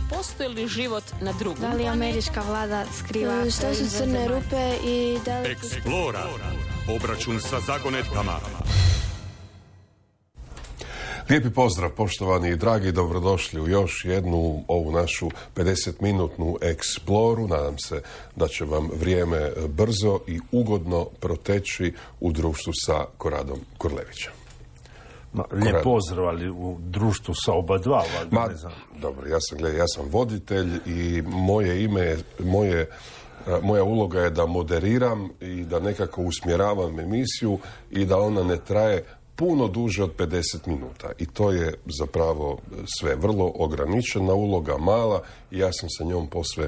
postoji li život na drugom? Da li američka vlada skriva što su crne rupe i da li... Eksplora. Obračun sa zagonetkama. Lijepi pozdrav, poštovani i dragi, dobrodošli u još jednu ovu našu 50-minutnu eksploru. Nadam se da će vam vrijeme brzo i ugodno proteći u društvu sa Koradom Kurlevićem. Lijep pozdrav, ali u društvu sa oba dva. Dobro, ja sam voditelj i moja uloga je da moderiram i da nekako usmjeravam emisiju i da ona ne traje puno duže od 50 minuta. I to je zapravo sve vrlo ograničena uloga, mala, i ja sam sa njom posve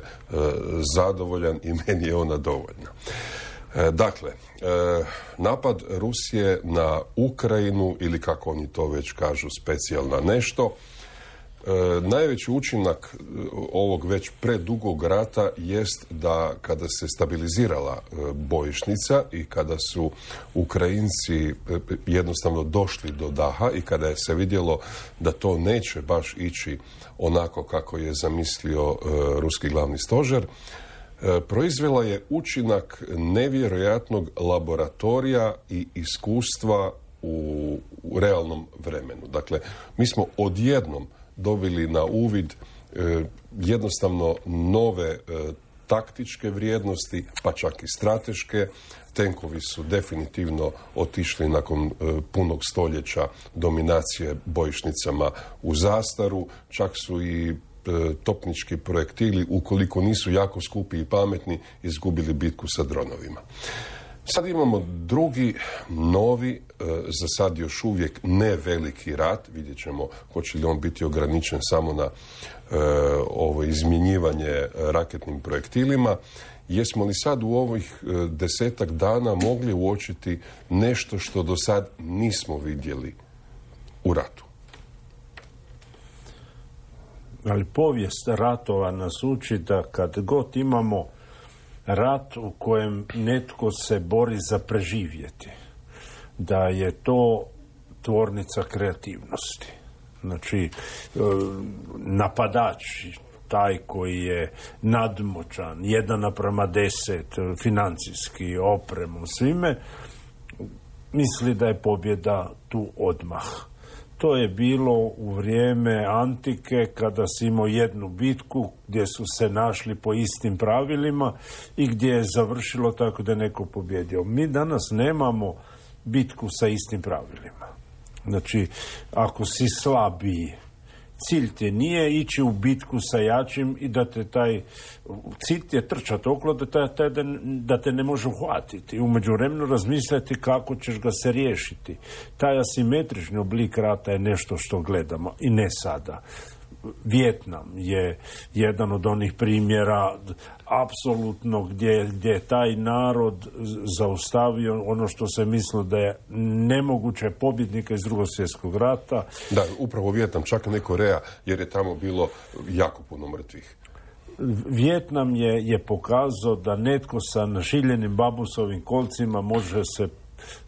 zadovoljan i meni je ona dovoljna. Dakle, napad Rusije na Ukrajinu, ili kako oni to već kažu, specijalna nešto, najveći učinak ovog već predugog rata jest da kada se stabilizirala bojišnica i kada su Ukrajinci jednostavno došli do daha i kada je se vidjelo da to neće baš ići onako kako je zamislio ruski glavni stožer, proizvela je učinak nevjerojatnog laboratorija i iskustva u realnom vremenu. Dakle, mi smo odjednom dobili na uvid jednostavno nove taktičke vrijednosti, pa čak i strateške. Tenkovi su definitivno otišli nakon punog stoljeća dominacije bojišnicama u zastaru, čak su i topnički projektili, ukoliko nisu jako skupi i pametni, izgubili bitku sa dronovima. Sad imamo drugi, novi, za sad još uvijek ne veliki rat. Vidjet ćemo hoće li on biti ograničen samo na ovo izmjenjivanje raketnim projektilima. Jesmo li sad u ovih 10 dana mogli uočiti nešto što do sad nismo vidjeli u ratu? Ali povijest ratova nas uči da kad god imamo rat u kojem netko se bori za preživjeti, da je to tvornica kreativnosti. Znači, napadač, taj koji je nadmoćan, 1:10, financijski, opremom, svime, misli da je pobjeda tu odmah. To je bilo u vrijeme antike, kada si imao jednu bitku gdje su se našli po istim pravilima i gdje je završilo tako da je neko pobjedio. Mi danas nemamo bitku sa istim pravilima. Znači, ako si slabiji, cilj ti nije ići u bitku sa jačim i da te cilj ti je trčati okolo da te ne može uhvatiti. U međuvremenu razmisliti kako ćeš ga se riješiti. Taj asimetrični oblik rata je nešto što gledamo i ne sada. Vijetnam je jedan od onih primjera apsolutno gdje je taj narod zaustavio ono što se mislilo da je nemoguće pobjednika iz Drugog svjetskog rata. Da, upravo Vijetnam, čak ne Koreja, jer je tamo bilo jako puno mrtvih. Vijetnam je pokazao da netko sa našiljenim bambusovim kolcima može se...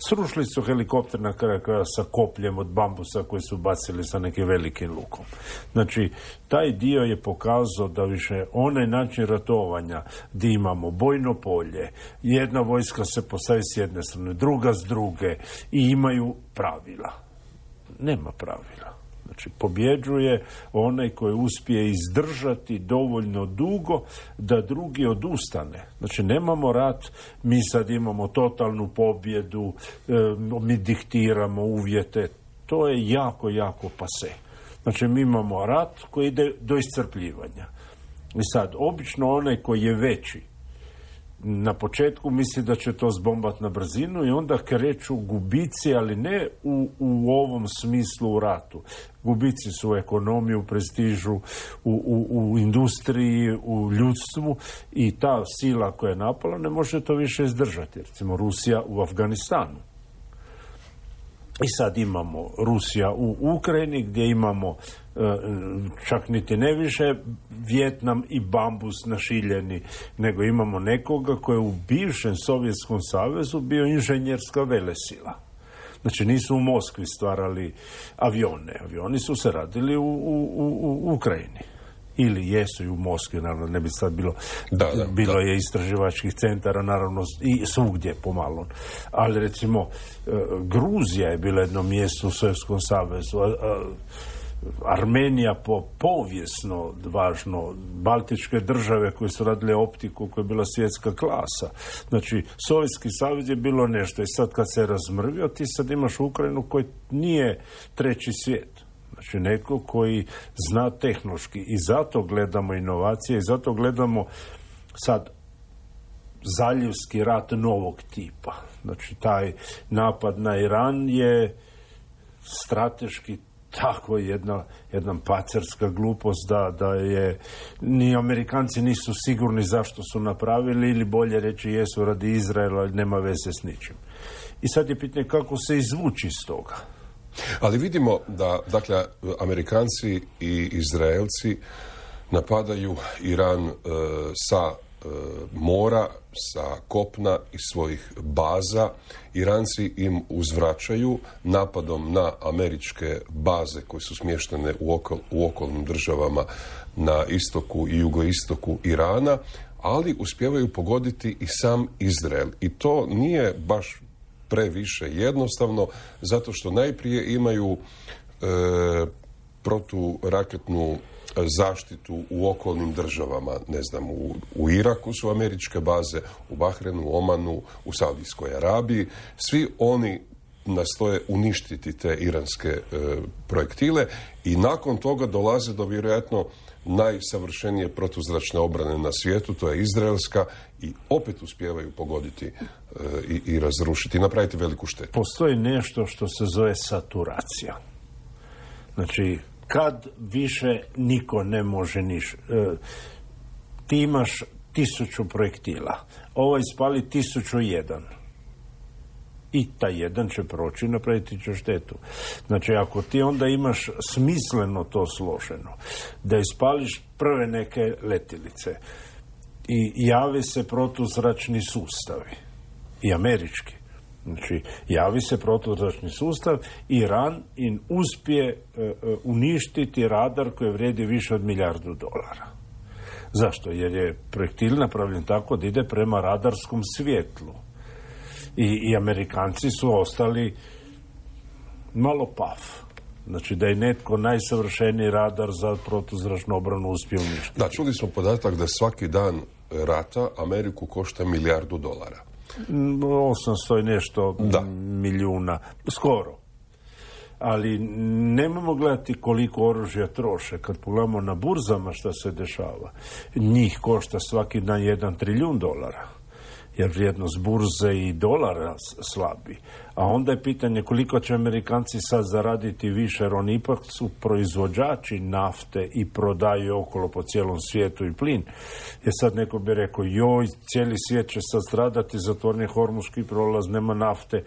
Srušili su helikopter na kraju kraja sa kopljem od bambusa koji su bacili sa nekim velikim lukom. Znači, taj dio je pokazao da više onaj način ratovanja gdje imamo bojno polje, jedna vojska se postavi s jedne strane, druga s druge i imaju pravila. Nema pravila. Znači, pobjeđuje onaj koji uspije izdržati dovoljno dugo da drugi odustane. Znači, nemamo rat, mi sad imamo totalnu pobjedu, mi diktiramo uvjete. To je jako, jako pase. Znači, mi imamo rat koji ide do iscrpljivanja. I sad, obično onaj koji je veći, na početku misli da će to zbombati na brzinu i onda kreću gubici, ali ne u ovom smislu u ratu. Gubici su u ekonomiji, u prestižu, u industriji, u ljudstvu i ta sila koja je napala ne može to više izdržati. Recimo Rusija u Afganistanu. I sad imamo Rusija u Ukrajini gdje imamo čak niti ne više Vijetnam i bambus našiljeni, nego imamo nekoga koji je u bivšem Sovjetskom savezu bio inženjerska velesila. Znači nisu u Moskvi stvarali avione. Avioni su se radili u Ukrajini. ili jesu i u Moskvi, naravno, ne bi sad bilo, bilo je istraživačkih centara, naravno, i svugdje pomalo. Ali, recimo, Gruzija je bila jedno mjesto u Sovjetskom savezu, Armenija povijesno važno, baltičke države koje su radile optiku koja je bila svjetska klasa. Znači, Sovjetski savez je bilo nešto i sad kad se razmrvio, ti sad imaš Ukrajinu koji nije treći svijet. Znači, neko koji zna tehnološki i zato gledamo inovacije i zato gledamo sad zaljevski rat novog tipa. Znači, taj napad na Iran je strateški tako jedna pacerska glupost da je ni Amerikanci nisu sigurni zašto su napravili ili bolje reći jesu radi Izraela, nema veze s ničim. I sad je pitanje kako se izvući iz toga. Ali vidimo da, dakle, Amerikanci i Izraelci napadaju Iran sa mora, sa kopna i svojih baza. Iranci im uzvraćaju napadom na američke baze koje su smještene u okolnim državama na istoku i jugoistoku Irana, ali uspijevaju pogoditi i sam Izrael. I to nije baš previše jednostavno, zato što najprije imaju proturaketnu zaštitu u okolnim državama, ne znam, u Iraku su američke baze, u Bahrenu, Omanu, u Saudijskoj Arabiji. Svi oni nastoje uništiti te iranske projektile i nakon toga dolaze do vjerojatno najsavršenije protuzračne obrane na svijetu, to je izraelska, i opet uspijevaju pogoditi i razrušiti i napraviti veliku štetu. Postoji nešto što se zove saturacija. Znači, kad više niko ne može ti imaš 1000 projektila, ovo ispali 1001. I taj jedan će proći i napraviti će štetu. Znači, ako ti onda imaš smisleno to složeno, da ispališ prve neke letjelice i javi se protuzračni sustavi, i američki, znači, javi se protuzračni sustav, Iran im uspije uništiti radar koji vrijedi više od $1 milijardu. Zašto? Jer je projektil napravljen tako da ide prema radarskom svjetlu. I Amerikanci su ostali malo paf. Znači, da je netko najsavršeniji radar za protuzračnu obranu uspio uništiti. Da, čuli smo podatak da svaki dan rata Ameriku košta $1 milijardu. 800 i nešto milijuna. Skoro. Ali nemamo gledati koliko oružja troše. Kad pogledamo na burzama šta se dešava, njih košta svaki dan $1 trilijun. Jer vrijednost burze i dolara slabi. A onda je pitanje koliko će Amerikanci sad zaraditi više, jer oni ipak su proizvođači nafte i prodaju okolo po cijelom svijetu i plin. Jer sad neko bi rekao, joj, cijeli svijet će sad stradati, zatvoren je Hormuzski prolaz, nema nafte.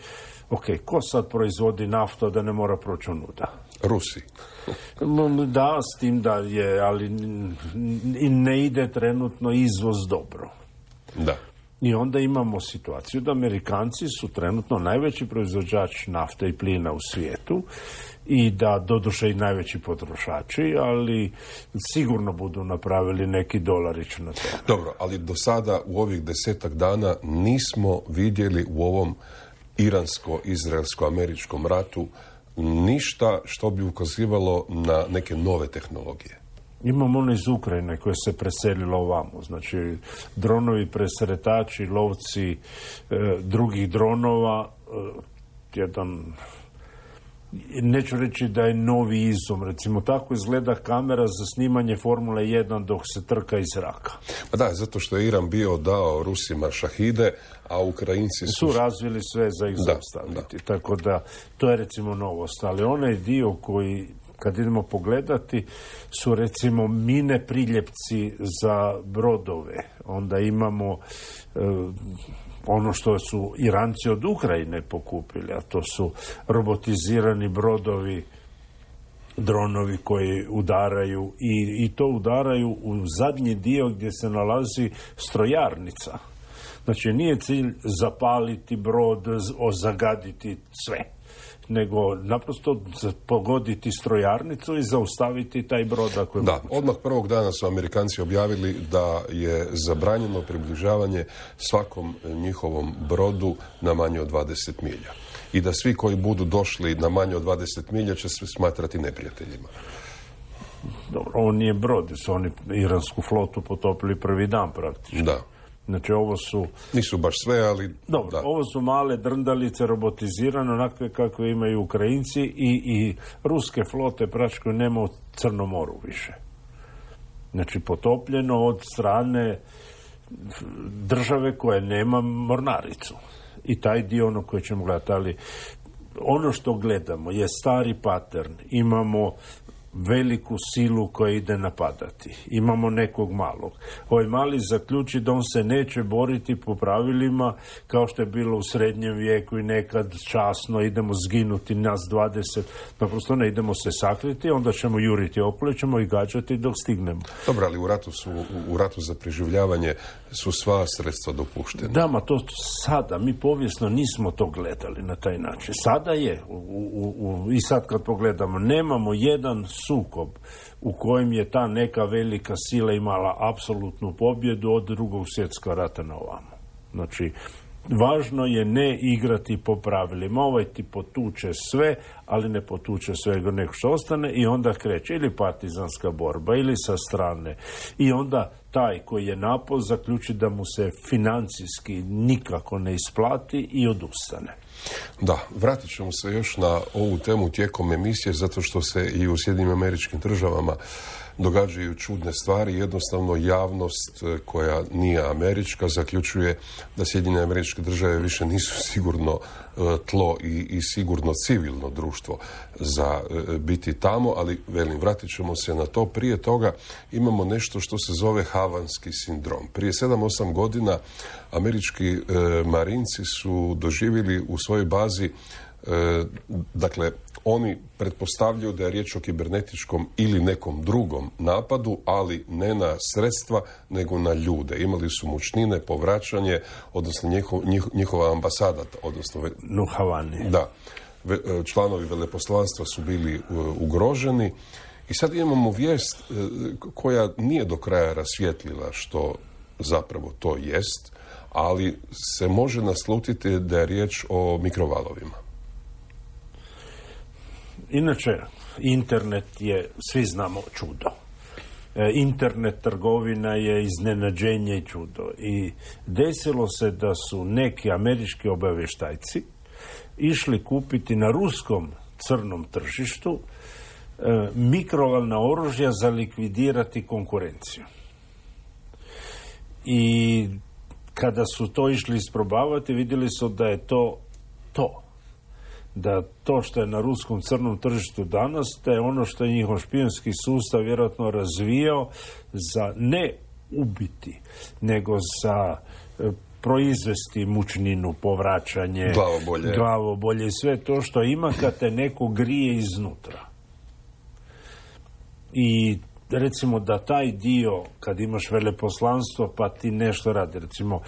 Ok, ko sad proizvodi naftu da ne mora proći onuda? Rusi. Da, s tim da je, ali ne ide trenutno izvoz dobro. Da. I onda imamo situaciju da Amerikanci su trenutno najveći proizvođač nafte i plina u svijetu i da doduše i najveći potrošači, ali sigurno budu napravili neki dolarić na to. Dobro, ali do sada u ovih 10 dana nismo vidjeli u ovom iransko-izraelsko-američkom ratu ništa što bi ukazivalo na neke nove tehnologije. Imamo ono iz Ukrajine koje se preselilo ovamo. Znači, dronovi presretači, lovci drugih dronova, jedan, neću reći da je novi izum. Recimo, tako izgleda kamera za snimanje Formule 1 dok se trka iz zraka. Pa da, zato što je Iran bio dao Rusima šahide, a Ukrajinci su razvili sve za ih zaustaviti. Tako da, to je recimo novost. Ali onaj dio koji, kad idemo pogledati, su recimo mine priljepci za brodove. Onda imamo ono što su Iranci od Ukrajine pokupili, a to su robotizirani brodovi, dronovi koji udaraju i to udaraju u zadnji dio gdje se nalazi strojarnica. Znači, nije cilj zapaliti brod, zagaditi sve. nego naprosto pogoditi strojarnicu i zaustaviti taj brod ako je moguće. Odmah prvog dana su Amerikanci objavili da je zabranjeno približavanje svakom njihovom brodu na manje od 20 milja. I da svi koji budu došli na manje od 20 milja će se smatrati neprijateljima. Dobro, ovo nije brod, su oni iransku flotu potopili prvi dan praktično. Da. Znači ovo su... Nisu baš sve, ali... Dobro, da. Ovo su male drndalice robotizirane, onakve kakve imaju Ukrajinci i ruske flote praktično nema u Crnom moru više. Znači potopljeno od strane države koja nema mornaricu. I taj dio ono koji ćemo gledati, ali ono što gledamo je stari pattern. Imamo veliku silu koja ide napadati. Imamo nekog malog. Ovaj mali zaključi da on se neće boriti po pravilima kao što je bilo u srednjem vijeku i nekad časno idemo zginuti nas 20. Naprosto ne, idemo se sakriti, onda ćemo juriti okolo, ćemo i gađati dok stignemo. Dobro, ali u ratu za preživljavanje su sva sredstva dopuštena. Da, ma to sada, mi povijesno nismo to gledali na taj način. Sada je, i sad kad pogledamo, nemamo jedan sukob u kojem je ta neka velika sila imala apsolutnu pobjedu od Drugog svjetskog rata na ovamo. Znači, važno je ne igrati po pravilima. Ovaj ti potuče sve, ali ne potuče svega nego što ostane i onda kreće ili partizanska borba ili sa strane. I onda taj koji je napao zaključi da mu se financijski nikako ne isplati i odustane. Da, vratit ćemo se još na ovu temu tijekom emisije, zato što se i u Sjedinjenim Američkim Državama događaju čudne stvari. Jednostavno javnost koja nije američka zaključuje da Sjedinjene Američke Države više nisu sigurno tlo i sigurno civilno društvo za biti tamo, ali velim, vratit ćemo se na to. Prije toga imamo nešto što se zove havanski sindrom. Prije 7-8 godina američki marinci su doživjeli u svojoj bazi, dakle, oni pretpostavljaju da je riječ o kibernetičkom ili nekom drugom napadu, ali ne na sredstva, nego na ljude. Imali su mučnine, povraćanje, odnosno njihova ambasada, odnosno... U Havani. Da. Članovi veleposlanstva su bili ugroženi. I sad imamo vijest koja nije do kraja rasvijetlila što zapravo to jest, ali se može naslutiti da je riječ o mikrovalovima. Inače, internet je, svi znamo, čudo. Internet trgovina je iznenađenje i čudo. I desilo se da su neki američki obavještajci išli kupiti na ruskom crnom tržištu mikrovalna oružja za likvidirati konkurenciju. I kada su to išli isprobavati, vidjeli su da je to. Da to što je na ruskom crnom tržištu danas, da je ono što je njihov špijunski sustav vjerojatno razvijao za ne ubiti, nego za proizvesti mučninu, povraćanje, glavobolje i sve to što ima kad te neko grije iznutra. I recimo da taj dio, kad imaš veleposlanstvo, pa ti nešto radi. Recimo,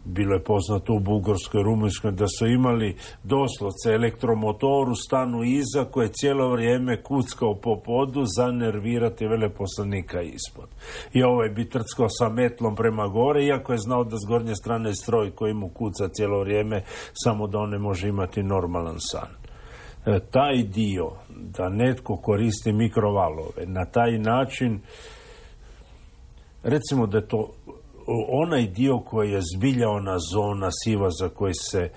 bilo je poznato u Bugarskoj, Rumunjskoj, da su imali doslovce elektromotor u stanu iza koje cijelo vrijeme kuckao po podu za nervirati veleposlanika ispod. I ovaj bi trckao sa metlom prema gore, iako je znao da s gornje strane stroj koji mu kuca cijelo vrijeme, samo da on ne može imati normalan san. Taj dio, da netko koristi mikrovalove, na taj način, recimo da je to onaj dio koji je zbilja ona zona siva za koji se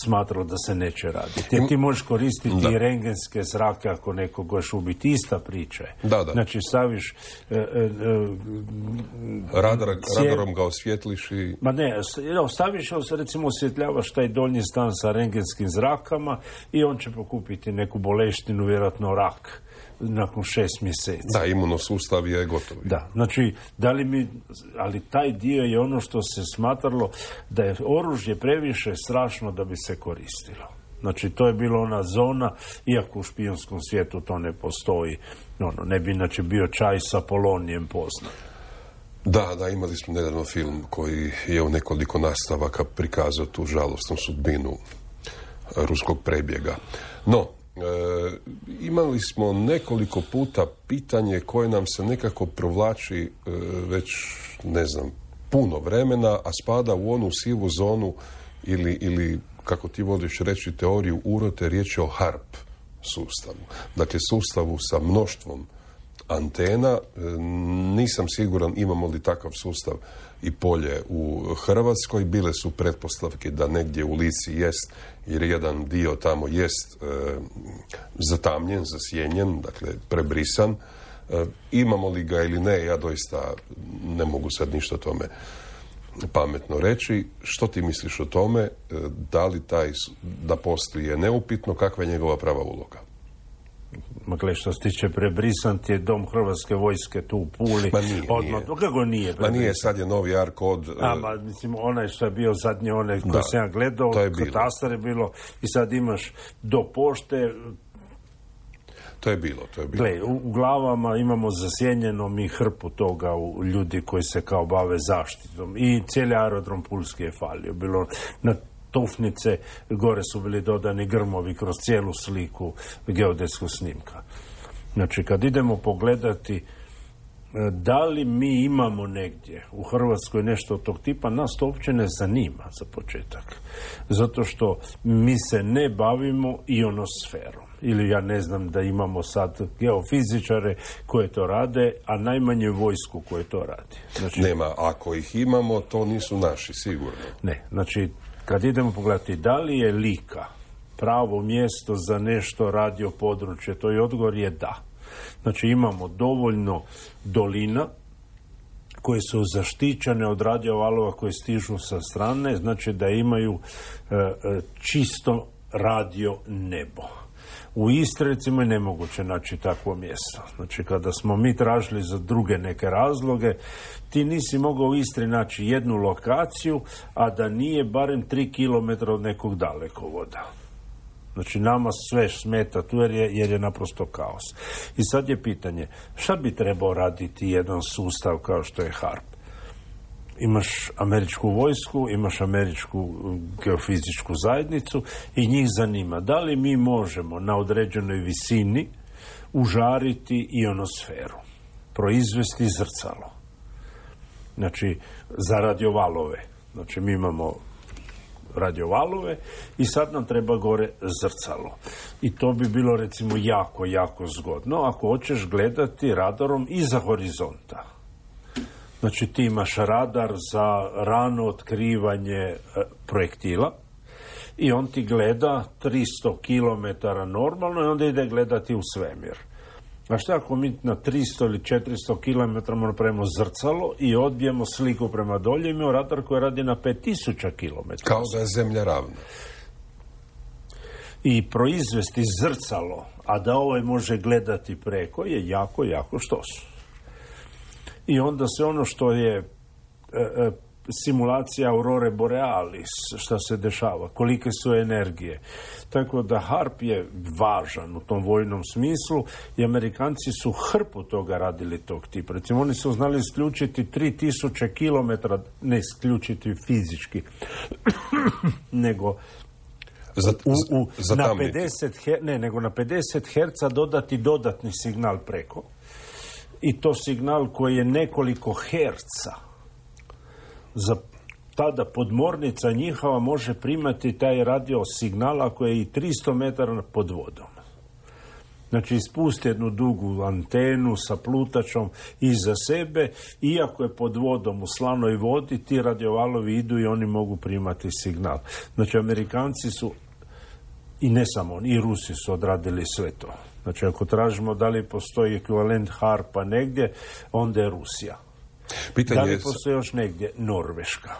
smatralo da se neće raditi. Ti možeš koristiti i rengenske zrake ako nekog hoćeš ubiti. Ista priča je. Da. Znači staviš radarom ga osvjetliš i... Ma ne, staviš, recimo osvjetljavaš taj donji stan sa rengenskim zrakama i on će pokupiti neku boleštinu, vjerojatno rak, nakon 6 mjeseci. Da, imunosustav je gotov. Da, znači, ali taj dio je ono što se smatralo da je oružje previše strašno da bi se koristilo. Znači, to je bila ona zona, iako u špijunskom svijetu to ne postoji. Ne bi inače bio čaj sa polonijem poznat. Da, imali smo nedavno film koji je u nekoliko nastavaka prikazao tu žalostnu sudbinu ruskog prebjega. No, imali smo nekoliko puta pitanje koje nam se nekako provlači već, ne znam, puno vremena, a spada u onu sivu zonu ili kako ti voliš reći teoriju urote, riječ je o HARP sustavu. Dakle, sustavu sa mnoštvom antena. Nisam siguran imamo li takav sustav i polje u Hrvatskoj. Bile su pretpostavke da negdje u Lici jest, jer jedan dio tamo jest zatamljen, zasjenjen, dakle prebrisan. Imamo li ga ili ne, ja doista ne mogu sad ništa o tome pametno reći. Što ti misliš o tome? Da li da postoji je neupitno, kakva je njegova prava uloga? Dakle, što se tiče prebrisan ti je dom Hrvatske vojske tu u Puli. Ma nije. Kako nije prebrisan? Ma nije, sad je novi AR kod... Mislim, onaj što je bio zadnji, onaj koji sam ja gledao, katastar je bilo i sad imaš do pošte... To je bilo. Gle, u glavama imamo zasjenjeno mi hrpu toga u ljudi koji se kao bave zaštitom. I cijeli aerodrom Pulski je falio. Bilo na tufnice, gore su bili dodani grmovi kroz cijelu sliku geodetskog snimka. Znači, kad idemo pogledati da li mi imamo negdje u Hrvatskoj nešto od tog tipa, nas to uopće ne zanima za početak. Zato što mi se ne bavimo ionosferom. Ili ja ne znam da imamo sad geofizičare koje to rade, a najmanje vojsku koje to radi. Znači, nema, ako ih imamo, to nisu naši, sigurno. Ne, znači, kad idemo pogledati da li je Lika pravo mjesto za nešto radio područje, to je odgovor je da. Znači, imamo dovoljno dolina koje su zaštićene od radiovalova koje stižu sa strane, znači da imaju čisto radio nebo. U Istri, recimo, je nemoguće naći takvo mjesto. Znači, kada smo mi tražili za druge neke razloge, ti nisi mogao u Istri naći jednu lokaciju, a da nije barem 3 km od nekog dalekovoda. Znači, nama sve smeta tu jer je naprosto kaos. I sad je pitanje, šta bi trebao raditi jedan sustav kao što je HARP? Imaš američku vojsku, imaš američku geofizičku zajednicu i njih zanima da li mi možemo na određenoj visini užariti ionosferu, proizvesti zrcalo. Znači, za radiovalove. Znači, mi imamo radiovalove i sad nam treba gore zrcalo. I to bi bilo, recimo, jako, jako zgodno ako hoćeš gledati radarom iza horizonta. Znači, ti imaš radar za rano otkrivanje projektila i on ti gleda 300 km normalno i onda ide gledati u svemir. A šta ako mi na 300 ili 400 km napravimo zrcalo i odbijemo sliku prema dolje, imamo radar koji radi na 5000 km. Kao da je zemlja ravna. I proizvesti zrcalo, a da ovaj može gledati preko, je jako, jako štos. I onda se ono što je simulacija aurore borealis, šta se dešava, kolike su energije. Tako da HARP je važan u tom vojnom smislu i Amerikanci su hrpu toga radili tog tipa. Recimo, oni su znali isključiti 3000 km, ne isključiti fizički, nego na 50 Hz dodati dodatni signal preko. I to signal koji je nekoliko herca. Za tada podmornica njihova može primati taj radio signal ako je i 300 metara pod vodom. Znači, ispusti jednu dugu antenu sa plutačom iza sebe, iako je pod vodom u slanoj vodi, ti radiovalovi idu i oni mogu primati signal. Znači, Amerikanci su, i ne samo oni, i Rusi su odradili sve to. Znači, ako tražimo da li postoji ekvivalent HARP-a negdje, onda je Rusija. Da li postoji još negdje? Norveška.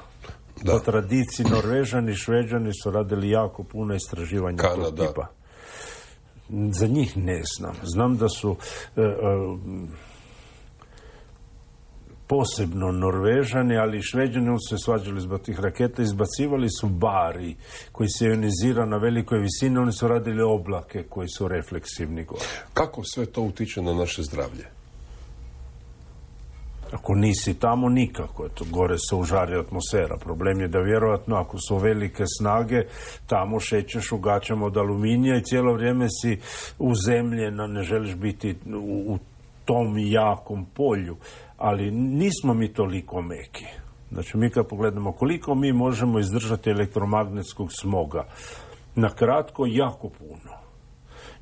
Da. Po tradiciji Norvežani i Šveđani su radili jako puno istraživanja tog tipa. Za njih ne znam. Znam da su posebno Norvežani, ali i Šveđani su se svađali zbog tih raketa, izbacivali su bari koji se ionizira na velikoj visini, oni su radili oblake koji su refleksivni gore. Kako sve to utiče na naše zdravlje? Ako nisi tamo, nikako. To gore se užari atmosfera. Problem je da vjerojatno ako su velike snage, tamo šećeš u gaćama od aluminija i cijelo vrijeme si uzemljena, ne želiš biti u tom jakom polju. Ali nismo mi toliko meki. Znači, mi kad pogledamo koliko mi možemo izdržati elektromagnetskog smoga, na kratko jako puno.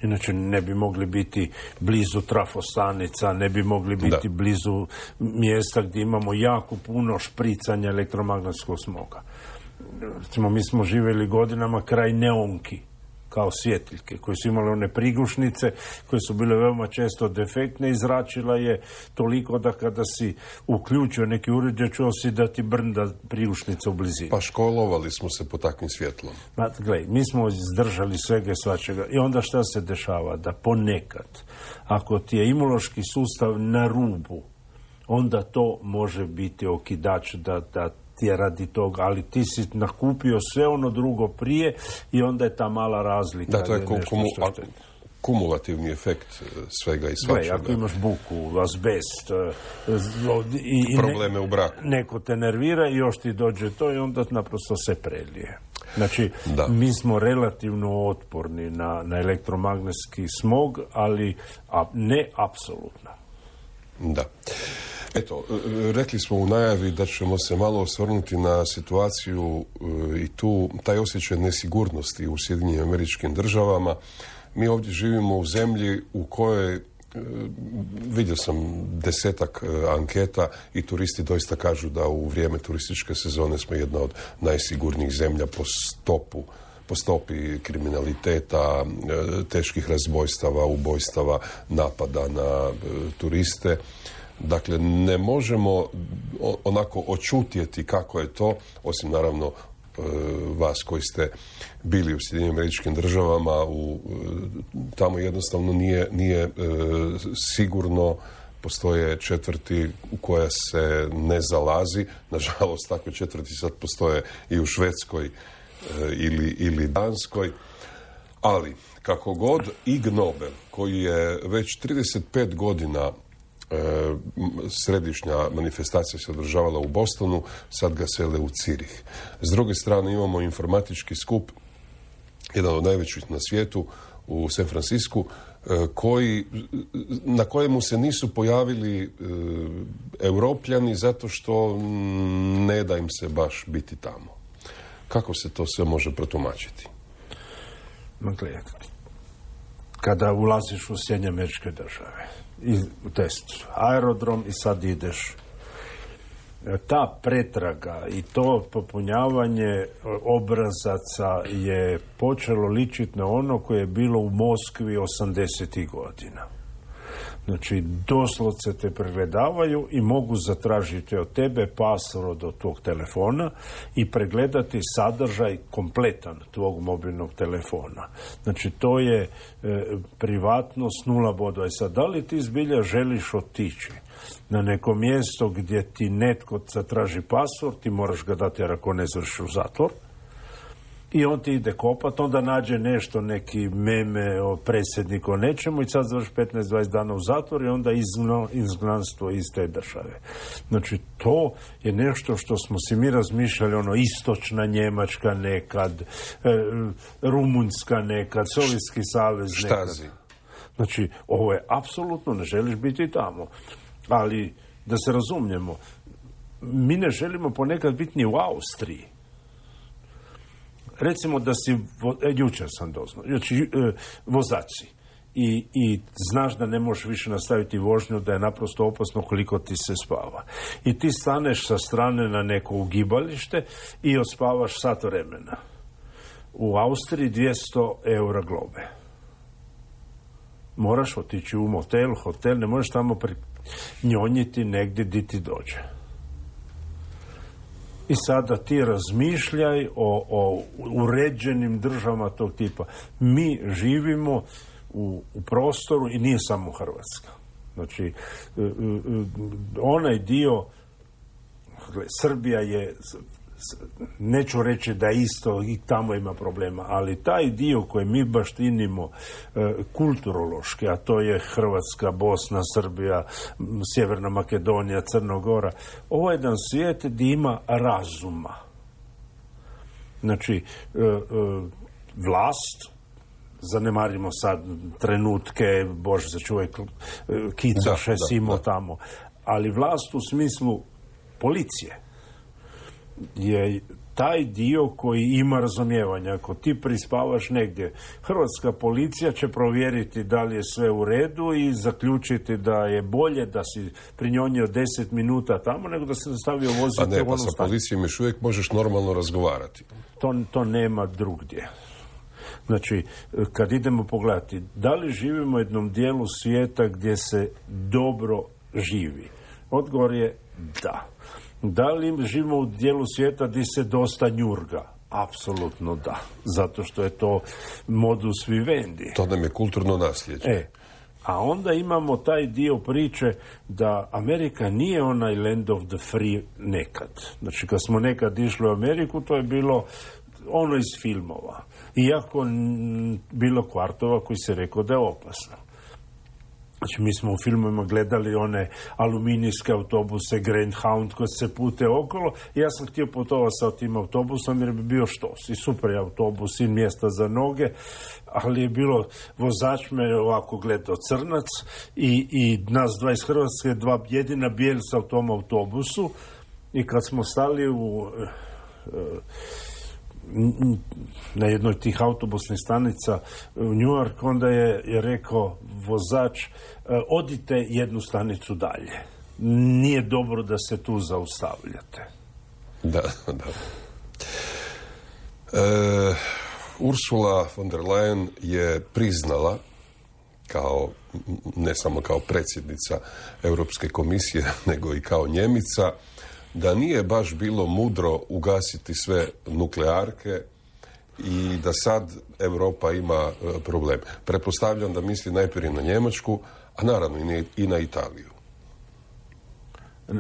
Inače ne bi mogli biti blizu trafostanica, ne bi mogli biti blizu mjesta gdje imamo jako puno špricanja elektromagnetskog smoga. Recimo, mi smo živjeli godinama kraj neonki, kao svjetiljke, koje su imale one prigušnice, koje su bile veoma često defektne i zračila je toliko da kada si uključio neki uređaj, čuo si da ti brnda prigušnica u blizini. Pa školovali smo se po takvim svjetlom. Gledaj, mi smo izdržali svega i svačega. I onda šta se dešava? Da ponekad, ako ti je imunološki sustav na rubu, onda to može biti okidač da ti je radi toga, ali ti si nakupio sve ono drugo prije i onda je ta mala razlika. Da, to je kumulativni efekt svega i svačega. Ako imaš buku, azbest i probleme u braku. Neko te nervira i još ti dođe to i onda naprosto se prelije. Znači, mi smo relativno otporni na elektromagnetski smog, ali ne apsolutno. Da. Eto, rekli smo u najavi da ćemo se malo osvrnuti na situaciju i taj osjećaj nesigurnosti u Sjedinjenim Američkim Državama. Mi ovdje živimo u zemlji u kojoj, vidio sam 10 anketa i turisti doista kažu da u vrijeme turističke sezone smo jedna od najsigurnijih zemlja po stopi kriminaliteta, teških razbojstava, ubojstava, napada na turiste. Dakle, ne možemo onako očutjeti kako je to, osim naravno vas koji ste bili u Sjedinjenim Američkim Državama, tamo jednostavno nije sigurno, postoje četvrti u koja se ne zalazi. Nažalost, takve četvrti sad postoje i u Švedskoj ili Danskoj. Ali, kako god, Ig Nobel, koji je već 35 godina središnja manifestacija se održavala u Bostonu, sad ga sele u Cirih. S druge strane imamo informatički skup, jedan od najvećih na svijetu, u San Francisku, na kojemu se nisu pojavili Europljani zato što ne da im se baš biti tamo. Kako se to sve može protumačiti? Kada ulaziš u Sjedinjene Američke Države i u test aerodrom i sad ideš, ta pretraga i to popunjavanje obrazaca je počelo ličiti na ono koje je bilo u Moskvi 80. godina. Znači, doslovce te pregledavaju i mogu zatražiti od tebe password od tvog telefona i pregledati sadržaj kompletan tvog mobilnog telefona. Znači, to je privatnost 0 bodova. I sad, da li ti zbilja želiš otići na neko mjesto gdje ti netko zatraži password, ti moraš ga dati jer ako ne završiš u zatvor, i on ti ide kopat, onda nađe nešto, neki meme o predsjedniku o nečemu i sad završi 15-20 dana u zatvor i onda izgnanstvo iz te države. Znači, to je nešto što smo si mi razmišljali, istočna Njemačka nekad, Rumunjska nekad, Sovjetski savez nekad. Štazi. Znači, ovo je apsolutno, ne želiš biti tamo. Ali, da se razumijemo, mi ne želimo ponekad biti ni u Austriji. Recimo da si, jučer sam doznao, znači vozač si i znaš da ne možeš više nastaviti vožnju, da je naprosto opasno koliko ti se spava. I ti staneš sa strane na neko ugibalište i odspavaš sat vremena. U Austriji 200 eura globe. Moraš otići u motel, hotel, ne možeš tamo njonjiti negdje di ti dođe. I sada ti razmišljaj o uređenim državama tog tipa. Mi živimo u prostoru i nije samo Hrvatska. Znači, onaj dio, Srbija je neću reći da isto i tamo ima problema, ali taj dio koji mi baštinimo kulturološki, a to je Hrvatska, Bosna, Srbija, Sjeverna Makedonija, Crnogora, ovo je jedan svijet gdje ima razuma. Znači, vlast, zanemarimo sad trenutke, Bože sačuvaj, Kicoše, Simo tamo, ali vlast u smislu policije je taj dio koji ima razumijevanja. Ako ti prispavaš negdje, hrvatska policija će provjeriti da li je sve u redu i zaključiti da je bolje da si prinjonio 10 minuta tamo nego da se nastavio voziti u onu stanicu. Pa sa policijom još uvijek možeš normalno razgovarati. To nema drugdje. Znači, kad idemo pogledati, da li živimo u jednom dijelu svijeta gdje se dobro živi? Odgovor je da. Da li živimo u dijelu svijeta gdje se dosta njurga? Apsolutno da. Zato što je to modus vivendi. To nam je kulturno nasljeđe. A onda imamo taj dio priče da Amerika nije onaj land of the free nekad. Znači, kad smo nekad išli u Ameriku, to je bilo ono iz filmova. Iako bilo kvartova koji se rekao da je opasno. Znači, mi smo u filmovima gledali one aluminijske autobuse, Greyhound koji se pute okolo i ja sam htio putovati sa tim autobusom jer bi bio štos. I super je autobus i mjesta za noge, ali je bilo, vozač me ovako gledao crnac i nas dva iz Hrvatske, dva jedina bijelca u tom autobusu i kad smo stali na jednoj tih autobusnih stanica u New York, onda je rekao vozač, odite jednu stanicu dalje. Nije dobro da se tu zaustavljate. Da. Ursula von der Leyen je priznala, ne samo kao predsjednica Europske komisije, nego i kao Njemica, da nije baš bilo mudro ugasiti sve nuklearke i da sad Europa ima problem. Pretpostavljam da misli najprije na Njemačku, a naravno i na Italiju.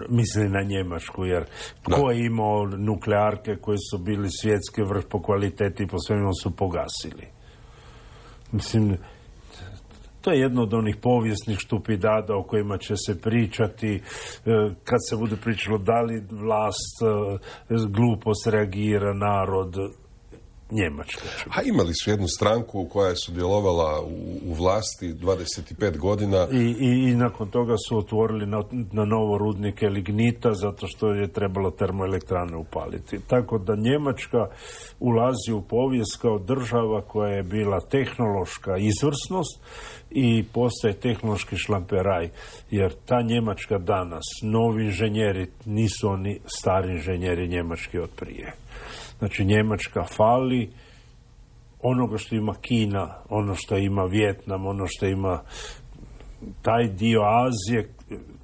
Misli na Njemačku, jer ko je imao nuklearke koje su bili svjetski vrh po kvaliteti i po svemu su pogasili? Mislim, to je jedno od onih povijesnih štupidada o kojima će se pričati kad se bude pričalo da li vlast glupost reagira, narod, Njemačka. A imali su jednu stranku koja je sudjelovala u vlasti 25 godina. I nakon toga su otvorili na novo rudnike lignita zato što je trebalo termoelektrane upaliti. Tako da Njemačka ulazi u povijest kao država koja je bila tehnološka izvrsnost i postaje tehnološki šlamperaj, jer ta Njemačka danas, novi inženjeri nisu oni stari inženjeri njemački od prije. Znači, Njemačka fali onoga što ima Kina, ono što ima Vijetnam, ono što ima taj dio Azije,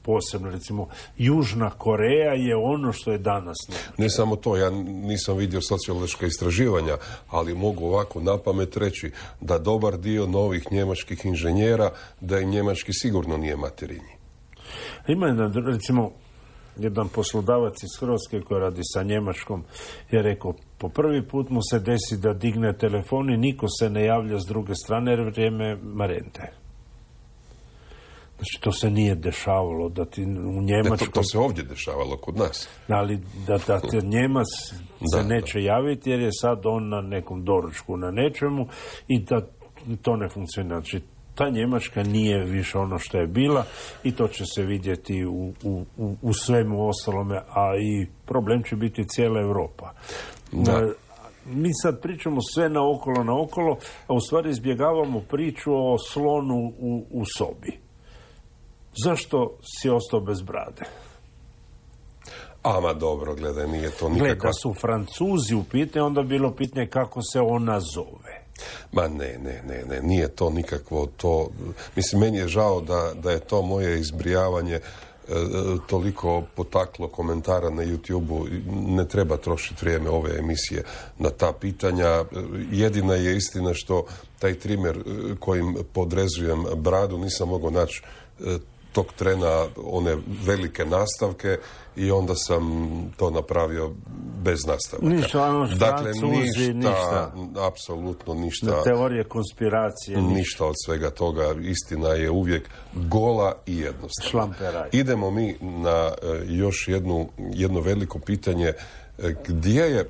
posebno recimo Južna Koreja je ono što je danas Njemačka. Ne samo to, ja nisam vidio sociološka istraživanja, ali mogu ovako napamet reći da dobar dio novih njemačkih inženjera, da i njemački sigurno nije materinji. Ima recimo jedan poslodavac iz Hrvatske koji radi sa Njemačkom je rekao, po prvi put mu se desi da digne telefon i niko se ne javlja s druge strane jer vrijeme marente. Znači, to se nije dešavalo da ti u Njemačkom... To se ovdje dešavalo kod nas. Ali da ti Njemac se neće javiti jer je sad on na nekom doručku na nečemu i da to ne funkcionira. Znači, ta Njemačka nije više ono što je bila i to će se vidjeti u svemu ostalome, a i problem će biti cijela Europa. Mi sad pričamo sve naokolo, a u stvari izbjegavamo priču o slonu u sobi. Zašto si ostao bez brade? Ama dobro, gledaj, nije to nikakva... Gleda, da su Francuzi u pitanju, onda bilo pitanje kako se ona zove. Ma ne, nije to nikakvo to... Mislim, meni je žao da je to moje izbrijavanje toliko potaklo komentara na YouTube-u. Ne treba trošiti vrijeme ove emisije na ta pitanja. Jedina je istina što taj trimer kojim podrezujem bradu nisam mogao naći tog trena one velike nastavke i onda sam to napravio bez nastavaka. Ništa, dakle, ništa. Apsolutno ništa. Teorije konspiracije. Ništa od svega toga. Istina je uvijek gola i jednostavna. Šlamperaj. Idemo mi na još jedno veliko pitanje. Gdje je,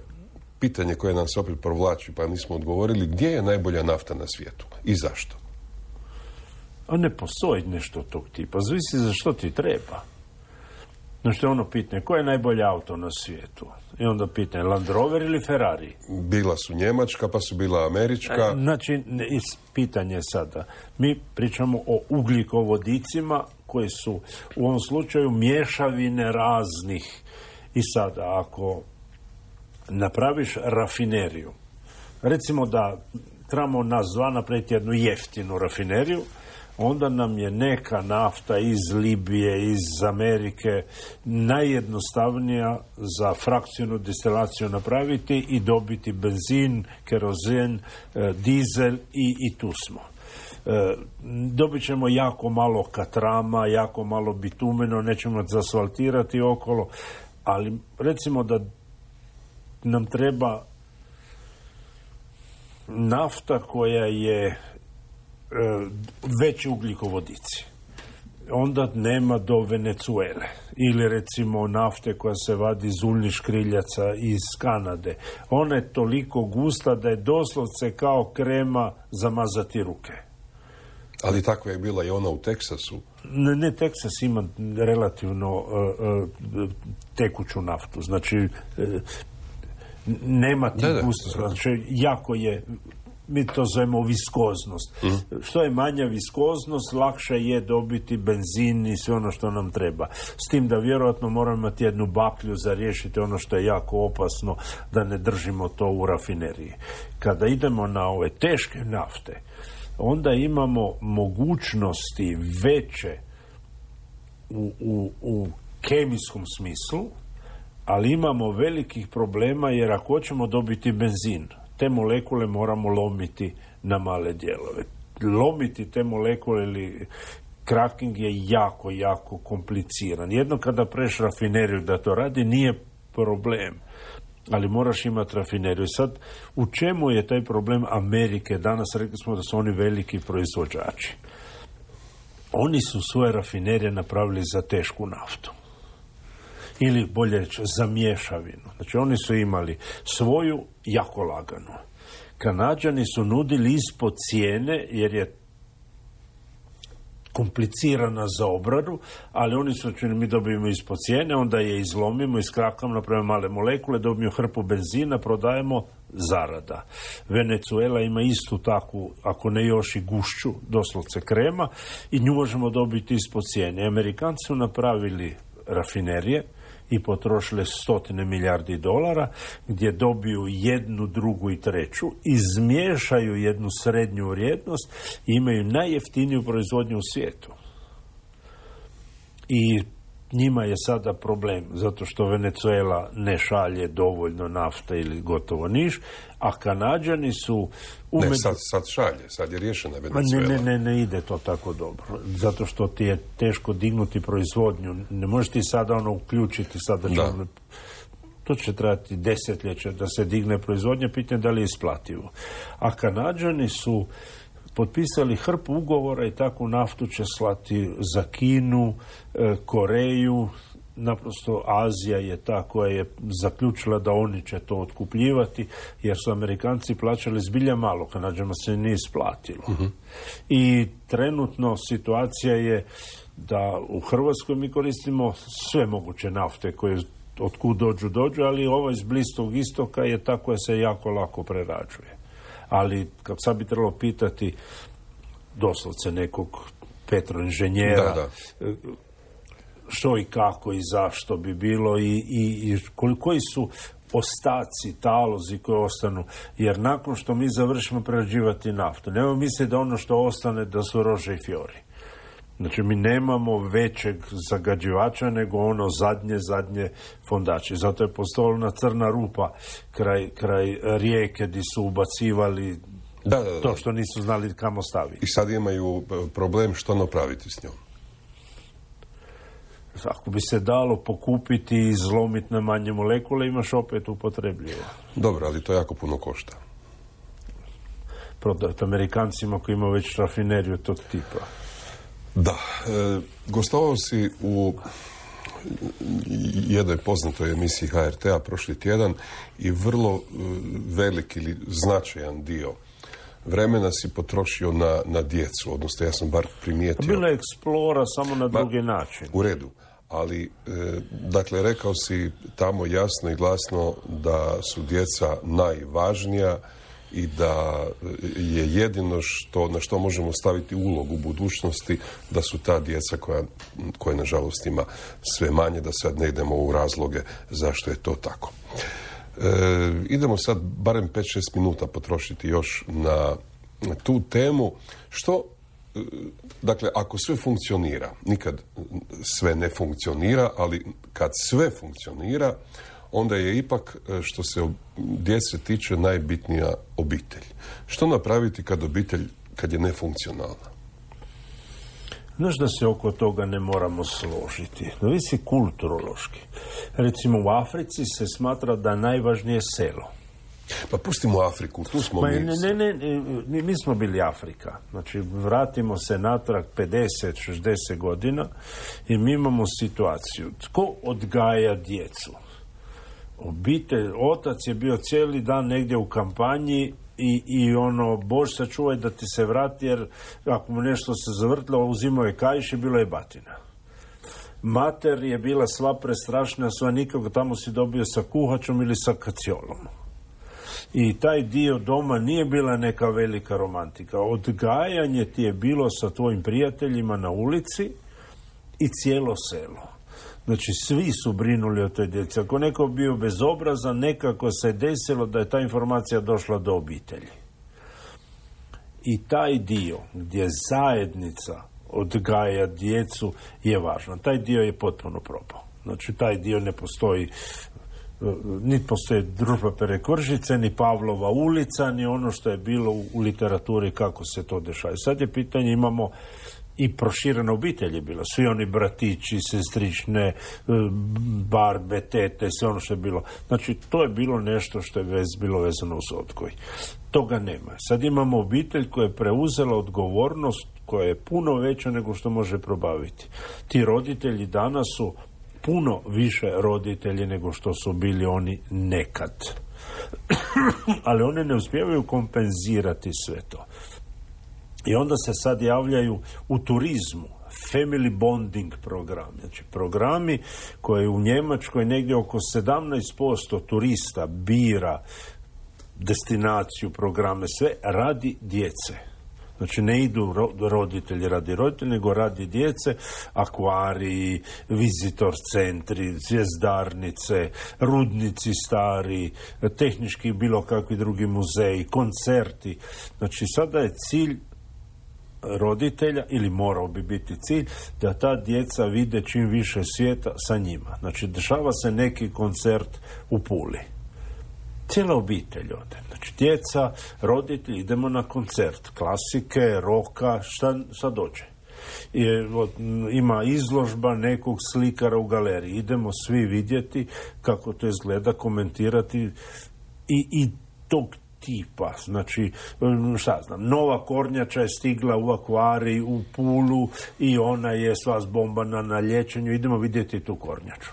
pitanje koje nam se opet provlači, pa nismo odgovorili, gdje je najbolja nafta na svijetu i zašto? A ne postoji nešto tog tipa. Zavisi za što ti treba. Znači, ono pitanje, koje je najbolje auto na svijetu? I onda pitanje, Land Rover ili Ferrari? Bila su njemačka, pa su bila američka. Znači, pitanje je sada. Mi pričamo o ugljikovodicima koji su u ovom slučaju mješavine raznih. I sada, ako napraviš rafineriju, recimo da trebamo nas dva napraviti jednu jeftinu rafineriju, onda nam je neka nafta iz Libije, iz Amerike najjednostavnija za frakcijnu destilaciju napraviti i dobiti benzin, kerozen, dizel i tu smo. Dobit ćemo jako malo katrama, jako malo bitumeno, nećemo zasfaltirati okolo, ali recimo da nam treba nafta koja je veći ugljikovodici. Onda nema do Venezuele. Ili recimo nafte koja se vadi iz uljnih škriljaca iz Kanade. Ona je toliko gusta da je doslovce kao krema za mazati ruke. Ali tako je bila i ona u Teksasu. Ne, Teksas ima relativno tekuću naftu. Znači, nema ti gustost. Znači, jako je, mi to zovemo viskoznost. Što je manja viskoznost, lakše je dobiti benzin i sve ono što nam treba. S tim da vjerojatno moramo imati jednu baklju za riješiti ono što je jako opasno, da ne držimo to u rafineriji. Kada idemo na ove teške nafte, onda imamo mogućnosti veće u kemijskom smislu, ali imamo velikih problema jer ako hoćemo dobiti benzin, te molekule moramo lomiti na male dijelove. Lomiti te molekule ili cracking je jako, jako kompliciran. Jedno kada preš rafineriju da to radi nije problem, ali moraš imati rafineriju. Sad, u čemu je taj problem Amerike? Danas rekli smo da su oni veliki proizvođači. Oni su svoje rafinerije napravili za tešku naftu. Ili bolje reći, za mješavinu. Znači, oni su imali svoju jako laganu. Kanađani su nudili ispod cijene, jer je komplicirana za obradu, ali oni su čini mi dobijemo ispod cijene, onda je izlomimo, iskrakamo, napravimo male molekule, dobijemo hrpu benzina, prodajemo, zarada. Venezuela ima istu takvu, ako ne još i gušću, doslovce krema, i nju možemo dobiti ispod cijene. Amerikanci su napravili rafinerije i potrošile $100 milijardi, gdje dobiju jednu, drugu i treću, izmiješaju jednu srednju vrijednost i imaju najjeftiniju proizvodnju u svijetu. I njima je sada problem, zato što Venezuela ne šalje dovoljno nafte ili gotovo niš, a Kanađani su... sad šalje, sad je riješena Venezuela. Ne ide to tako dobro, zato što ti je teško dignuti proizvodnju. Ne možeš ti sada uključiti sada ćemo... To će trajati desetljeće da se digne proizvodnja, pitanje da li je isplativo. A Kanađani su potpisali hrpu ugovora i takvu naftu će slati za Kinu, Koreju, naprosto Azija je ta koja je zaključila da oni će to otkupljivati, jer su Amerikanci plaćali zbilja malo, Kanađama se nije isplatilo. I trenutno situacija je da u Hrvatskoj mi koristimo sve moguće nafte koje otkud dođu, ali ova iz Bliskog istoka je ta koja se jako lako prerađuje. Ali kad sad bi trebalo pitati doslovce nekog petroinženjera što i kako i zašto bi bilo i koji su ostaci, talozi koji ostanu, jer nakon što mi završimo prerađivati naftu, nemoj misliti da ono što ostane da su rože i fjori. Znači, mi nemamo većeg zagađivača nego ono zadnje fondače. Zato je postojala crna rupa kraj rijeke gdje su ubacivali to što nisu znali kamo staviti. I sad imaju problem što napraviti s njom. ako bi se dalo pokupiti i izlomiti na manje molekule, imaš opet upotrebljivo. Dobro, ali to jako puno košta. Prodati Amerikancima koji imaju već rafineriju tog tipa. Da, gostovao si u jednoj poznatoj emisiji HRT-a prošli tjedan i vrlo velik ili značajan dio vremena si potrošio na djecu, odnosno ja sam bar primijetio... Bila je eksplora samo na drugi način. U redu, ali dakle rekao si tamo jasno i glasno da su djeca najvažnija i da je jedino na što možemo staviti ulog u budućnosti da su ta djeca koja nažalost ima sve manje, da sad ne idemo u razloge zašto je to tako. Idemo sad barem 5-6 minuta potrošiti još na tu temu. Što, dakle, ako sve funkcionira, nikad sve ne funkcionira, ali kad sve funkcionira, onda je ipak, što se djece tiče, najbitnija obitelj. Što napraviti kad je nefunkcionalna? Znaš da se oko toga ne moramo složiti. Zavisi kulturološki. Recimo u Africi se smatra da najvažnije selo. Pa pustimo Afriku, tu smo mi smo bili Afrika. Znači, vratimo se natrag 50-60 godina i mi imamo situaciju. Tko odgaja djecu? Obitelj, otac je bio cijeli dan negdje u kampanji i Bož sačuvaj da ti se vrati, jer ako mu nešto se zavrtilo, uzimao je kaiš i bilo je batina. Mater je bila sva prestrašna, sva nikako, tamo si dobio sa kuhačom ili sa kaciolom. I taj dio doma nije bila neka velika romantika. Odgajanje ti je bilo sa tvojim prijateljima na ulici i cijelo selo. Znači, svi su brinuli o toj djeci. Ako neko bio bezobrazan, nekako se desilo da je ta informacija došla do obitelji. I taj dio gdje zajednica odgaja djecu je važno. Taj dio je potpuno propao. Znači, taj dio ne postoji, niti postoji Družba Perekvržice, ni Pavlova ulica, ni ono što je bilo u literaturi kako se to dešava. Sad je pitanje, imamo i proširena obitelj je bila. Svi oni bratići, sestrične, barbe, tete, sve ono što je bilo. Znači, to je bilo nešto što je bilo vezano uz odgoj. Toga nema. Sad imamo obitelj koja je preuzela odgovornost koja je puno veća nego što može probaviti. Ti roditelji danas su puno više roditelji nego što su bili oni nekad. Ali oni ne uspijevaju kompenzirati sve to. I onda se sad javljaju u turizmu family bonding programi. Znači programi koje u Njemačkoj negdje oko 17% turista bira destinaciju, programe, sve radi djece. Znači ne idu roditelji radi roditelji, nego radi djece, akvariji, vizitor centri, zvjezdarnice, rudnici stari, tehnički bilo kakvi drugi muzeji, koncerti. Znači sada je cilj roditelja, ili morao bi biti cilj, da ta djeca vide čim više svijeta sa njima. Znači dešava se neki koncert u Puli. Cijela obitelj ode. Znači, djeca, roditelji, idemo na koncert. Klasike, roka, šta dođe. Ima izložba nekog slikara u galeriji. Idemo svi vidjeti kako to izgleda, komentirati i tog tipa. Znači, šta znam, nova kornjača je stigla u akvarij, u Pulu i ona je sva zbombana na liječenju. Idemo vidjeti tu kornjaču.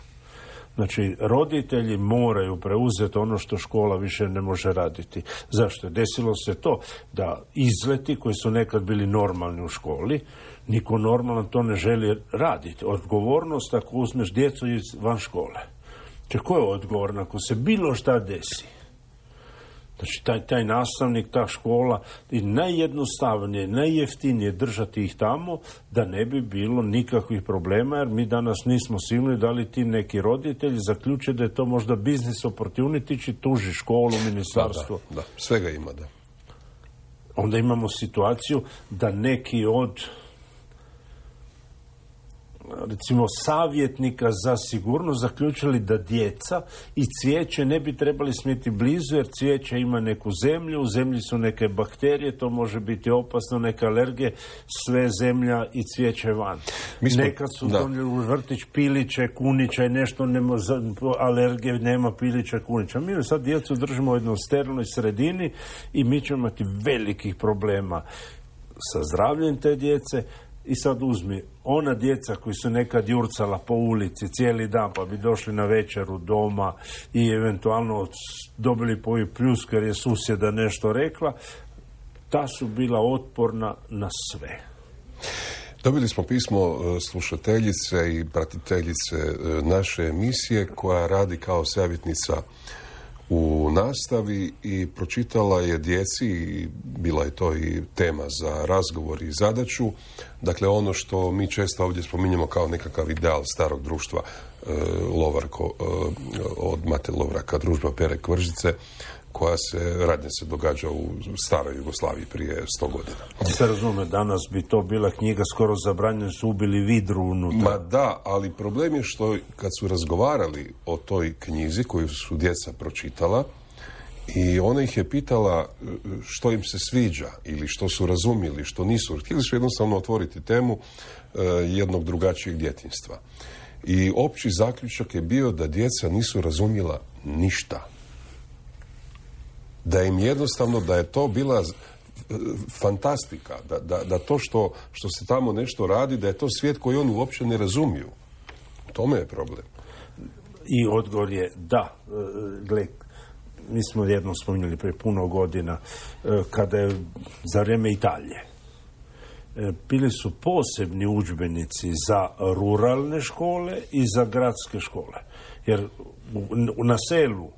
Znači, roditelji moraju preuzeti ono što škola više ne može raditi. Zašto? Desilo se to da izleti koji su nekad bili normalni u školi, niko normalan to ne želi raditi. Odgovornost ako uzmeš djecu van škole. Znači, ko je odgovoran ako se bilo šta desi? Znači, taj nastavnik, ta škola, i najjednostavnije, najjeftinije držati ih tamo da ne bi bilo nikakvih problema, jer mi danas nismo sigurni da li ti neki roditelji zaključe da je to možda business opportunity, tuži školu, ministarstvo. Da, svega ima, da. Onda imamo situaciju da neki od recimo savjetnika za sigurnost zaključili da djeca i cvijeće ne bi trebali smjeti blizu, jer cvijeće ima neku zemlju, u zemlji su neke bakterije, to može biti opasno, neke alergije, sve zemlja i cvijeće van. Nekad su donijeli u vrtić piliće, kunića i nešto, nema alergije, nema pilića, kunića. Mi sad djecu držimo u jednoj sterilnoj sredini i mi ćemo imati velikih problema sa zdravljem te djece. I sad uzmi, ona djeca koji su nekad jurcala po ulici cijeli dan pa bi došli na večeru doma i eventualno dobili po pljusku jer je susjeda nešto rekla, ta su bila otporna na sve. Dobili smo pismo slušateljice i pratiteljice naše emisije koja radi kao savjetnica u nastavi i pročitala je djeci, i bila je to i tema za razgovor i zadaću, dakle ono što mi često ovdje spominjemo kao nekakav ideal starog društva, Lovarko, od Mate Lovraka, družba Pere Kvržice, koja radnje se događa u staroj Jugoslaviji prije 100 godina. Se razume, danas bi to bila knjiga skoro zabranjena, su ubili vidru unutra. Ma da, ali problem je što kad su razgovarali o toj knjizi koju su djeca pročitala i ona ih je pitala što im se sviđa ili što su razumjeli, što nisu. Htjeli su jednostavno otvoriti temu jednog drugačijeg djetinjstva. I opći zaključak je bio da djeca nisu razumjela ništa. Da im jednostavno, da je to bila fantastika, da to što se tamo nešto radi, da je to svijet koji oni uopće ne razumiju. U tome je problem. I odgovor je da. Gle, mi smo jednom spominjali prije puno godina, kada je za vrijeme Italije bili su posebni udžbenici za ruralne škole i za gradske škole. Jer na selu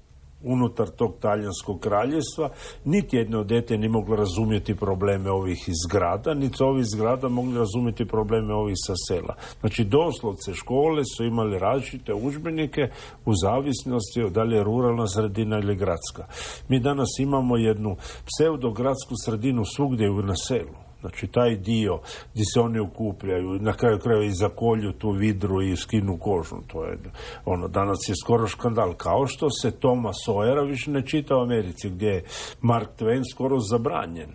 unutar tog talijanskog kraljevstva niti jedno dete nije moglo razumjeti probleme ovih iz grada, niti ovi iz grada mogli razumjeti probleme ovih sa sela. Znači doslovce škole su imali različite udžbenike u zavisnosti od da li je ruralna sredina ili gradska. Mi danas imamo jednu pseudogradsku sredinu svugdje na selu. Znači, taj dio gdje se oni okupljaju, na kraju krajeva i zakolju tu vidru i skinu kožu. To je, danas je skoro škandal. Kao što se Toma Sawyera više ne čita u Americi, gdje je Mark Twain skoro zabranjen.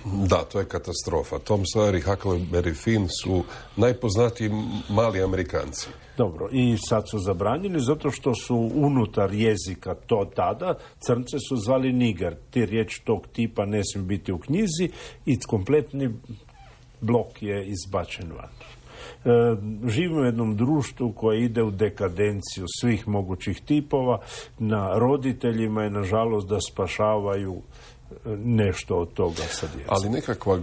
Da, to je katastrofa. Tom Sawyer i Huckleberry Finn su najpoznatiji mali Amerikanci. Dobro, i sad su zabranjeni zato što su unutar jezika to tada, crnce su zvali niger. Ti riječ tog tipa ne smije biti u knjizi i kompletni blok je izbačen van. Živimo u jednom društvu koje ide u dekadenciju svih mogućih tipova. Na roditeljima je nažalost da spašavaju nešto od toga sa djecom. Ali nekakva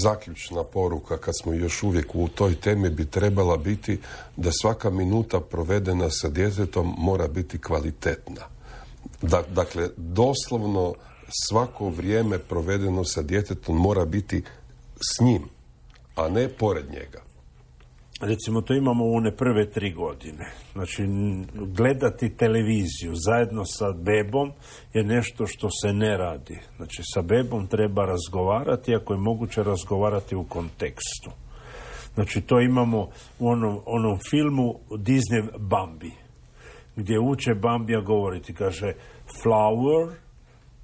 zaključna poruka, kad smo još uvijek u toj temi, bi trebala biti da svaka minuta provedena sa djetetom mora biti kvalitetna. Dakle, doslovno svako vrijeme provedeno sa djetetom mora biti s njim, a ne pored njega. Recimo, to imamo u one prve 3 godine. Znači, gledati televiziju zajedno sa bebom je nešto što se ne radi. Znači, sa bebom treba razgovarati, ako je moguće razgovarati u kontekstu. Znači, to imamo u onom filmu Disney Bambi, gdje uče Bambija govoriti, kaže flower,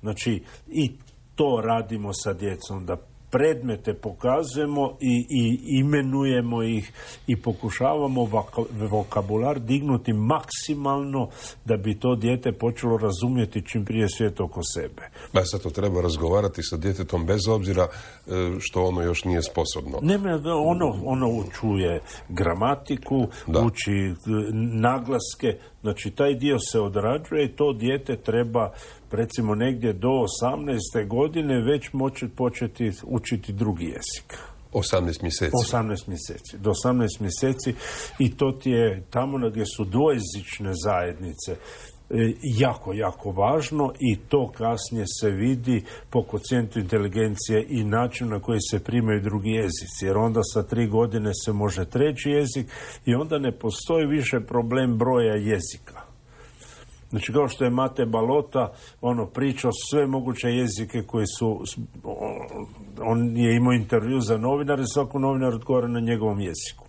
znači i to radimo sa djecom, da predmete pokazujemo i imenujemo ih i pokušavamo vokabular dignuti maksimalno da bi to dijete počelo razumjeti čim prije svijet oko sebe. Sad to treba razgovarati sa djetetom bez obzira što ono još nije sposobno. Ono čuje gramatiku, uči naglaske, znači taj dio se odrađuje i to dijete treba recimo negdje do 18. godine već početi učiti drugi jezik. 18 mjeseci. 18 mjeseci. Do 18 mjeseci i to ti je tamo gdje su dvojezične zajednice jako, jako važno i to kasnije se vidi po kocijentu inteligencije i načinu na koji se primaju drugi jezici. Jer onda sa 3 godine se može treći jezik i onda ne postoji više problem broja jezika. Znači, kao što je Mate Balota, pričao sve moguće jezike koji su, on je imao intervju za novinare, svako novinar odgovara na njegovom jeziku.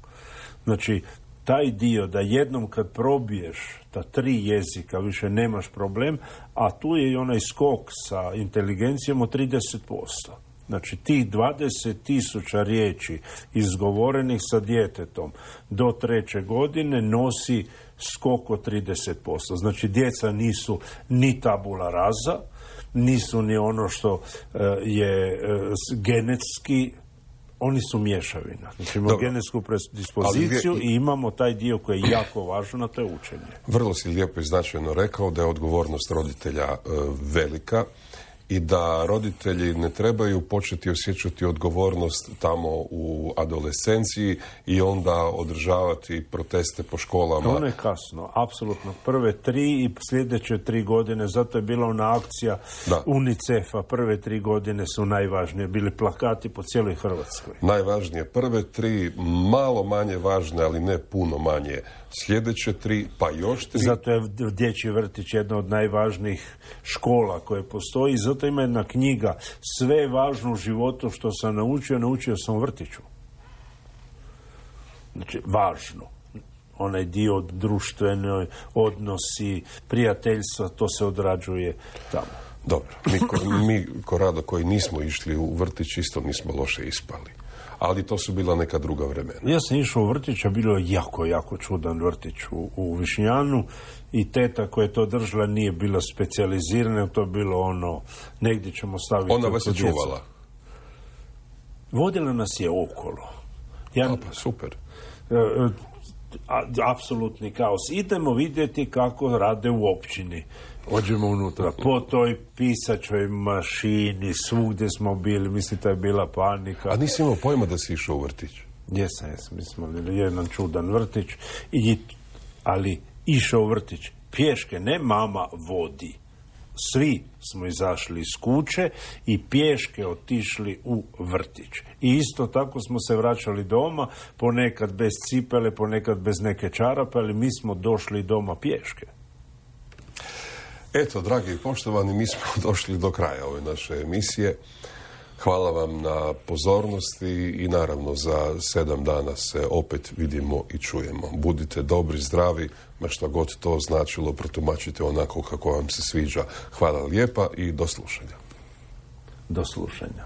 Znači, taj dio da jednom kad probiješ ta 3 jezika više nemaš problem, a tu je i onaj skok sa inteligencijom od 30%. Znači, tih 20.000 riječi izgovorenih sa djetetom do 3. godine nosi skok od 30%. Znači, djeca nisu ni tabula rasa, nisu ni ono što je genetski, oni su mješavina. Znači, imamo genetsku predispoziciju i imamo taj dio koji je jako važan, a to je učenje. Vrlo si lijepo i značajno rekao da je odgovornost roditelja velika i da roditelji ne trebaju početi osjećati odgovornost tamo u adolescenciji i onda održavati proteste po školama. Ono je kasno, apsolutno. Prve 3 i sljedeće 3 godine, zato je bila ona akcija UNICEF-a, prve 3 godine su najvažnije, bili plakati po cijeloj Hrvatskoj. Najvažnije prve 3, malo manje važne, ali ne puno manje. Sljedeće 3, pa još 3. Zato je dječji vrtić jedna od najvažnijih škola koje postoji. Zato ima jedna knjiga, sve važno u životu što sam naučio sam u vrtiću. Znači, važno. Onaj dio društvenoj odnosi, prijateljstva, to se odrađuje tamo. Dobro, mi ko rado koji nismo išli u vrtić isto nismo loše ispali. Ali to su bila neka druga vremena. Ja sam išao u vrtić, a bilo je jako čudan vrtić u Višnjanu i teta koja je to držala nije bila specijalizirana, to je bilo ono, negdje ćemo staviti... Ona vas je čuvala? Vodila nas je okolo. Pa super. Apsolutni kaos. Idemo vidjeti kako rade u općini. Ođemo unutra, po toj pisačoj mašini, svugdje smo bili, mislim, to je bila panika. A nisi imao pojma da si išao u vrtić? Jesam, mi smo bili jedan čudan vrtić, ali išao u vrtić pješke, ne mama vodi. Svi smo izašli iz kuće i pješke otišli u vrtić. I isto tako smo se vraćali doma, ponekad bez cipele, ponekad bez neke čarape, ali mi smo došli doma pješke. Eto, dragi i poštovani, mi smo došli do kraja ove naše emisije. Hvala vam na pozornosti i naravno za 7 dana se opet vidimo i čujemo. Budite dobri, zdravi, ma šta god to značilo, protumačite onako kako vam se sviđa. Hvala lijepa i do slušanja. Do slušanja.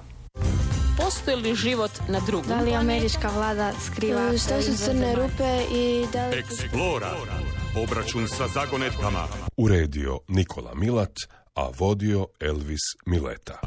Postoji li život na drugom? Da li američka vlada skriva? Što su crne rupe i da li... Explora. Obračun sa zagonetkama. Uredio Nikola Milat, a vodio Elvis Mileta.